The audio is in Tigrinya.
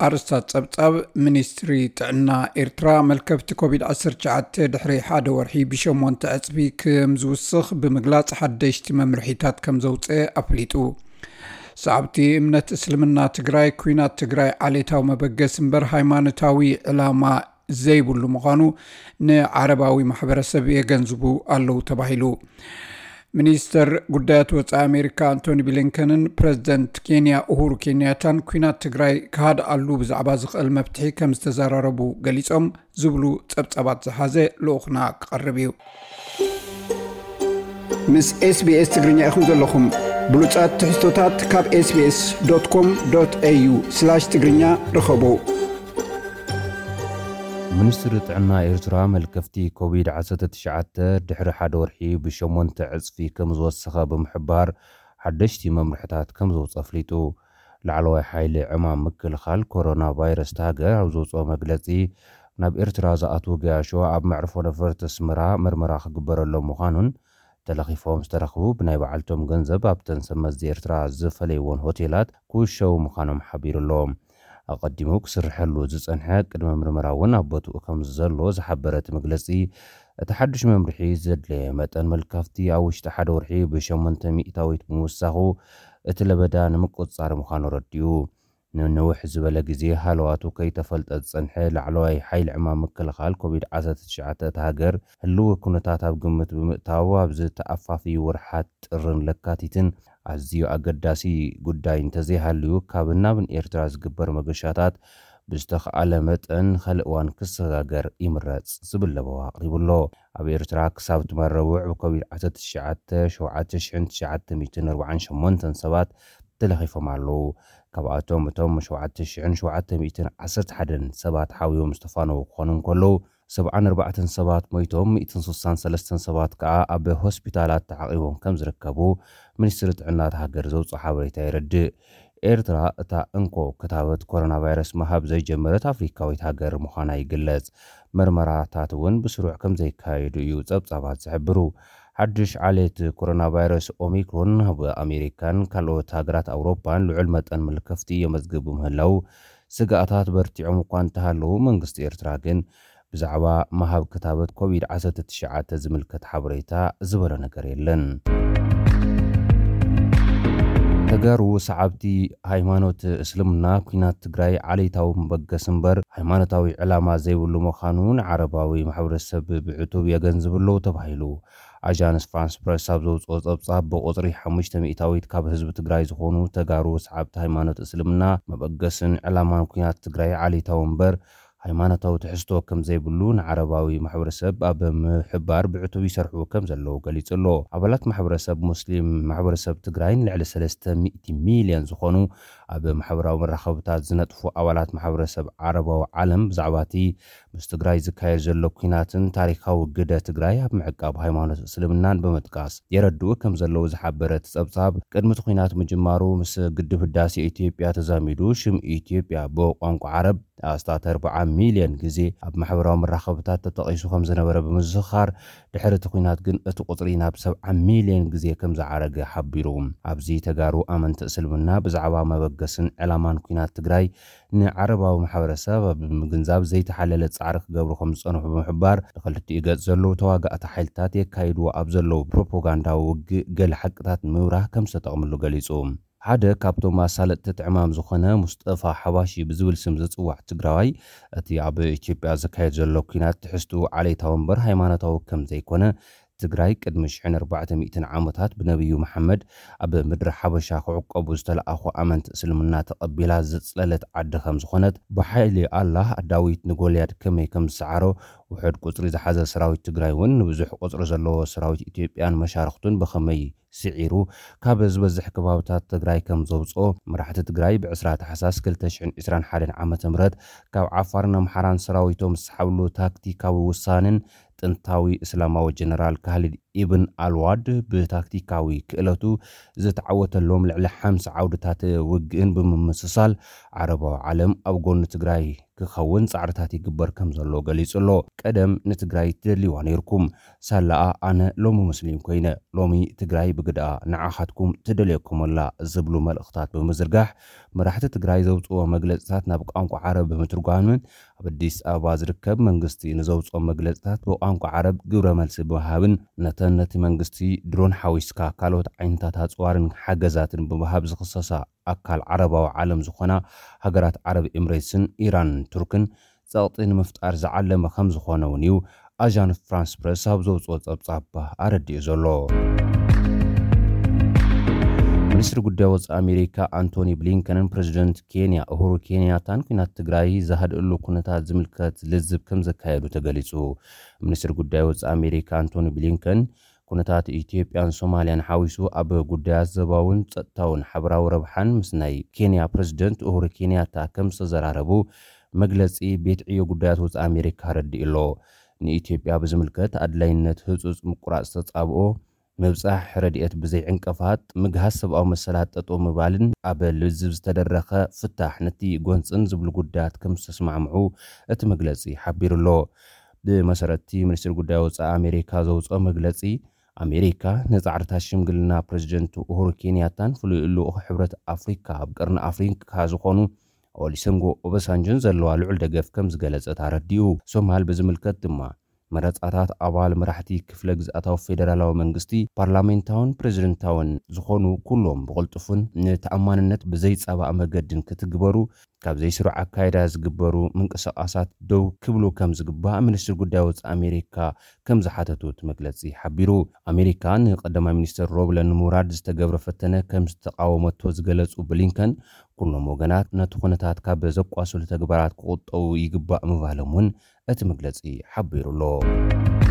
ኣርስታት ጸብጻብ። ሚኒስትሪ ጥዕና ኤርትራ፣ መልከፍቲ ኮቪድ ዓሰርተ ትሽዓተ ድሕሪ ሓደ ወርሒ ብሸሞንተ ዕጽፊ ከም ዝውስኽ ብምግላጽ፣ ሓደሽቲ መምርሒታት ከም ዘውጽአ ኣፍሊጡ። ሰዓብቲ እምነት እስልምና ትግራይ፣ ኲናት ትግራይ ዓሌታዊ መበገሲ እምበር ሃይማኖታዊ ዕላማ ዘይብሉ ምዃኑ ንዓረባዊ ማሕበረሰብ የገንዝቡ ኣለዉ ተባሂሉ። ሚኒስተር ጉዳያት ወጻኢ ኣሜሪካ ኣንቶኒ ብሊንከንን ፕረዚደንት ኬንያ ኡሁሩ ኬንያታን ኲናት ትግራይ ክሃድኣሉ ብዛዕባ ዝኽእል መፍትሒ ከም ዝተዘራረቡ ገሊጾም ዝብሉ ጸብጻባት ዝሓዘ ልኡኽና ክቐርብ እዩ። ምስ ኤስቢኤስ ትግርኛ ኢኹም ዘለኹም። ብሉጻት ትሕዝቶታት ካብ ኤስቢኤስ ዶት ኮም ዶት ኤዩ ስላሽ ትግርኛ ርኸቡ። ሚኒስትሪ ጥዕና ኤርትራ፣ መልከፍቲ ኮቪድ ዓሰርተ ትሽዓተ ድሕሪ ሓደ ወርሒ ብሸሞንተ ዕጽፊ ከም ዝወሰኸ ብምሕባር፣ ሓደሽቲ መምርሕታት ከም ዘውጽእ ኣፍሊጡ። ላዕለዋይ ሓይሊ ዕማም ምክልኻል ኮሮና ቫይረስ እታ ሃገር ኣብ ዘውጽኦ መግለጺ፣ ናብ ኤርትራ ዝኣትዉ ገያሾ ኣብ መዕርፎ ነፈርቲ ኣስመራ መርመራ ክግበረሎም ምዃኑን፣ ተለኺፎም ዝተረኽቡ ብናይ በዓልቶም ገንዘብ ኣብተን ሰብ መዚ ኤርትራ ዝፈለይዎን ሆቴላት ክውሸቡ ምዃኖም ሓቢሩ ኣሎ። ኣቐዲሙ ክስርሐሉ ዝጸንሐ ቅድመ ምርመራ እውን ኣብ ቦትኡ ከም ዘሎ ዝሓበረ እቲ መግለጺ፣ እቲ ሓድሽ መምርሒ ዘድለየ መጠን መልከፍቲ ኣብ ውሽጢ ሓደ ወርሒ ብሸሞንተ ሚእታዊት ብምውሳኹ፣ እቲ ለበዳ ንምቁጽጻር ምዃኑ ኣረዲኡ። ንንውሕ ዝበለ ግዜ ሃለዋቱ ከይተፈልጠ ዝጸንሐ ላዕለዋይ ሓይሊ ዕማም ምክልኻል ኮቪድ ዓሰርተ ትሽዓተ እታ ሃገር፣ ህልዊ ኩነታት ኣብ ግምት ብምእታው፣ ኣብዚ ተኣፋፍዩ ወርሓት ጥርን ለካቲትን ኣዝዩ ኣገዳሲ ጉዳይ እንተዘይሃልዩ፣ ካብን ናብን ኤርትራ ዝግበር መገሻታት ብዝተኽኣለ መጠን ንኻልእ እዋን ክሰጋገር ይምረጽ ዝብል ለበዋ ኣቕሪቡ ኣሎ። ኣብ ኤርትራ ክሳብ ትማል ረቡዕ ብኮቪድ ዓሰርተ ትሽዓተ ሸውዓተ ሽሕን ትሽዓተ ሚእትን ኣርባዓን ሸሞንተን ሰባት ተለኺፎም ኣለዉ። ካብኣቶም እቶም ሸውዓተ ሽሕን ሸውዓተ ሚእትን ዓሰርተ ሓደን ሰባት ሓውዮም ዝተፋነዉ ክኾኑ እንከለዉ፣ ሰብዓን ኣርባዕተን ሰባት ሞይቶም፣ ሚእትን ስሳን ሰለስተን ሰባት ከኣ ኣብ ሆስፒታላት ተዓቒቦም ከም ዝርከቡ ሚኒስትሪ ጥዕና እታ ሃገር ዘውጽኦ ሓበሬታ የረድእ። ኤርትራ እታ እንኮ ክታበት ኮሮና ቫይረስ ምሃብ ዘይጀመረት ኣፍሪካዊት ሃገር ምዃና ይግለጽ። መርመራታት እውን ብስሩዕ ከም ዘይካየዱ እዩ ጸብጻባት ዝሕብሩ። ሓድሽ ዓሌት ኮሮና ቫይረስ ኦሚክሮን ኣብ ኣሜሪካን ካልኦት ሃገራት ኣውሮፓን ልዑል መጠን ምልክፍቲ የመዝግብ ብምህላው፣ ስግኣታት በርቲዖም እኳ እንተሃለዉ፣ መንግስቲ ኤርትራ ግን ብዛዕባ ምሃብ ክታበት ኮቪድ ዓሰርተ ትሽዓተ ዝምልከት ሓበሬታ ዝበሎ ነገር የለን። ተጋሩ ሰዓብቲ ሃይማኖት እስልምና፣ ኲናት ትግራይ ዓሌታዊ መበገሲ እምበር ሃይማኖታዊ ዕላማ ዘይብሉ ምዃኑ ንዓረባዊ ማሕበረሰብ ብዕቱብ የገንዝብ ኣለዉ ተባሂሉ። ኣጃንስ ፍራንስ ፕረስ ኣብ ዘውፅኦ ጸብጻብ፣ ብቁፅሪ ሓሙሽተ ሚእታዊት ካብ ህዝቢ ትግራይ ዝኾኑ ተጋሩ ሰዓብቲ ሃይማኖት እስልምና፣ መበገስን ዕላማን ኲናት ትግራይ ዓሌታዊ እምበር ሃይማኖታዊ ትሕዝቶ ከም ዘይብሉ ንዓረባዊ ማሕበረሰብ ኣብ ምሕባር ብዕቱብ ይሰርሑ ከም ዘለዉ ገሊጹ ኣሎ። ኣባላት ማሕበረሰብ ሙስሊም ማሕበረሰብ ትግራይን ልዕሊ ሰለስተ ሚእቲ ሚልዮን ዝኾኑ ኣብ ማሕበራዊ መራኸብታት ዝነጥፉ ኣባላት ማሕበረሰብ ዓረባዊ ዓለም ብዛዕባ እቲ ምስ ትግራይ ዝካየድ ዘሎ ኲናትን ታሪኻዊ ግደ ትግራይ ኣብ ምዕቃብ ሃይማኖት እስልምናን ብምጥቃስ የረድኡ ከም ዘለዉ ዝሓበረ እቲ ጸብጻብ፣ ቅድሚ እቲ ኲናት ምጅማሩ ምስ ግድብ ህዳሴ ኢትዮጵያ ተዛሚዱ ሽም ኢትዮጵያ ብቋንቋ ዓረብ ኣስታት ኣርብዓ ሚልዮን ግዜ ኣብ ማሕበራዊ መራኸብታት ተጠቒሱ ከም ዝነበረ ብምዝኽኻር፣ ድሕሪ እቲ ኲናት ግን እቲ ቁጽሪ ናብ ሰብዓ ሚልዮን ግዜ ከም ዝዓረገ ሓቢሩ። ኣብዚ ተጋሩ ኣመንቲ እስልምና ብዛዕባ መበገስን ዕላማን ኲናት ትግራይ ንዓረባዊ ማሕበረሰብ ኣብ ምግንዛብ ዘይተሓለለ ጻዕሪ ክገብሩ ከም ዝጸንሑ ብምሕባር፣ ንኽልቲኡ ገጽ ዘለዉ ተዋጋእቲ ሓይልታት የካይድዎ ኣብ ዘለዉ ፕሮፓጋንዳዊ ውግእ ገለ ሓቅታት ንምብራህ ከም ዝተጠቕምሉ ገሊጹ። ሓደ ካብቶም ኣሳለጥቲ እቲ ዕማም ዝኾነ ሙስጠፋ ሓባሺ ብዝብል ስም ዝጽዋዕ ትግራዋይ፣ እቲ ኣብ ኢትዮጵያ ዝካየድ ዘሎ ኲናት ትሕዝትኡ ዓሌታዊ እምበር ሃይማኖታዊ ከም ዘይኮነ፣ ትግራይ ቅድሚ ሽሕን ኣርባዕተ ሚእትን ዓመታት ብነብዩ መሓመድ ኣብ ምድሪ ሓበሻ ክዕቆቡ ዝተለኣኹ ኣመንቲ እስልምና ተቐቢላ ዘጽለለት ዓዲ ከም ዝኾነት፣ ብሓይሊ ኣላህ ዳዊት ንጎልያድ ከመይ ከም ዝሰዓሮ፣ ውሑድ ቁጽሪ ዝሓዘ ሰራዊት ትግራይ እውን ንብዙሕ ቁጽሪ ዘለዎ ሰራዊት ኢትዮጵያን መሻርኽቱን ብኸመይ ስዒሩ ካብ ዝበዝሕ ከባብታት ትግራይ ከም ዘውፅኦ መራሕቲ ትግራይ ብዕስራ ታሕሳስ ክልተ ሽሕን ዕስራን ሓደን ዓመተ ምህረት ካብ ዓፋርን ኣምሓራን ሰራዊቶም ዝሰሓብሉ ታክቲካዊ ውሳኔን ጥንታዊ እስላማዊ ጀነራል ካሊድ ኢብን ኣልዋድ ብታክቲካዊ ክእለቱ ዝተዓወተሎም ልዕሊ ሓምሳ ዓውድታት ውግእን ብምምስሳል ዓረባዊ ዓለም ኣብ ጎኒ ትግራይ ክኸውን ጻዕርታት ይግበር ከም ዘሎ ገሊጹ ኣሎ። ቀደም ንትግራይ ትደልይዋ ነይርኩም፣ ሳላኣ ኣነ ሎሚ ሙስሊም ኮይነ፣ ሎሚ ትግራይ ብግድኣ ንዓኻትኩም ትደልየኩም ኣላ ዝብሉ መልእኽታት ብምዝርጋሕ፣ መራሕቲ ትግራይ ዘውፅዎ መግለፅታት ናብ ቋንቋ ዓረብ ብምትርጓምን ኣብ ኣዲስ ኣበባ ዝርከብ መንግስቲ ንዘውፅኦ መግለፅታት ብቋንቋ ዓረብ ግብረ መልሲ ብምሃብን ነተን ነቲ መንግስቲ ድሮን ሓዊስካ ካልኦት ዓይነታት ኣፅዋርን ሓገዛትን ብምሃብ ዝኽሰሳ ኣካል ዓረባዊ ዓለም ዝኾና ሃገራት ዓረብ ኤምሬትስን ኢራንን ቱርክን ጸቕጢ ንምፍጣር ዝዓለመ ከም ዝኾነ እውን እዩ ኣዣንስ ፍራንስ ፕረስ ኣብ ዘውፅኦ ጸብጻብ ኣረዲኡ ዘሎ። ሚኒስትሪ ጉዳይ ወፃኢ ኣሜሪካ ኣንቶኒ ብሊንከንን ፕሬዚደንት ኬንያ ኡሁሩ ኬንያታን ኩናት ትግራይ ዝሃድእሉ ኩነታት ዝምልከት ልዝብ ከም ዘካየዱ ተገሊፁ። ሚኒስትሪ ጉዳይ ወፃኢ ኣሜሪካ ኣንቶኒ ብሊንከን ኩነታት ኢትዮጵያን ሶማልያን ሓዊሱ ኣብ ጉዳያት ዞባውን ጸጥታውን ሓበራዊ ረብሓን ምስ ናይ ኬንያ ፕሬዚደንት ኡሁሩ ኬንያታ ከም ዝተዘራረቡ መግለጺ ቤት ዕዮ ጉዳያት ወፃኢ ኣሜሪካ ኣረዲኡ ኣሎ። ንኢትዮጵያ ብዝምልከት ኣድላይነት ህጹጽ ምቁራጽ ተጻብኦ፣ ምብጻሕ ረድኤት ብዘይ ዕንቀፋት፣ ምግሃስ ሰብኣዊ መሰላት ጠጠው ምባልን ኣብ ልዝብ ዝተደረኸ ፍታሕ ነቲ ጎንጽን ዝብሉ ጉዳያት ከም ዝተስማዕምዑ እቲ መግለጺ ሓቢሩ ኣሎ። ብመሰረት እቲ ሚኒስትሪ ጉዳይ ወፃኢ ኣሜሪካ ዘውፅኦ መግለፂ፣ ኣሜሪካ ንፃዕርታት ሽምግልና ፕሬዚደንት ኡሁሩ ኬንያታን ፍሉይ ልኡኽ ሕብረት ኣፍሪካ ኣብ ቀርኒ ኣፍሪካ ዝኾኑ ኦሊሰንጎ ኦበሳንጆን ዘለዋ ልዑል ደገፍ ከም ዝገለጸት ኣረዲኡ። ሶማል ብዝምልከት ድማ መረፃታት ኣባል መራሕቲ ክፍለ ግዝኣታዊ ፌደራላዊ መንግስቲ፣ ፓርላሜንታውን ፕሬዚደንታውን ዝኾኑ ኩሎም ብቕልጡፍን ንተኣማንነት ብዘይፃባእ መገድን ክትግበሩ ካብ ዘይስሩዕ ኣካይዳ ዝግበሩ ምንቅስቓሳት ደው ክብሉ ከም ዝግባእ ሚኒስትሪ ጉዳይ ወፃኢ ኣሜሪካ ከም ዝሓተቱ እቲ መግለፂ ሓቢሩ። ኣሜሪካ ንቀዳማይ ሚኒስትር ሮብለን ሙራድ ዝተገብረ ፈተነ ከም ዝተቃወመቶ ዝገለፁ ብሊንከን፣ ኩሎም ወገናት ነቲ ኩነታት ካብ ዘቋስሉ ተግባራት ክቁጠቡ ይግባእ ምባሎም እውን እቲ መግለፂ ሓቢሩ ኣሎ።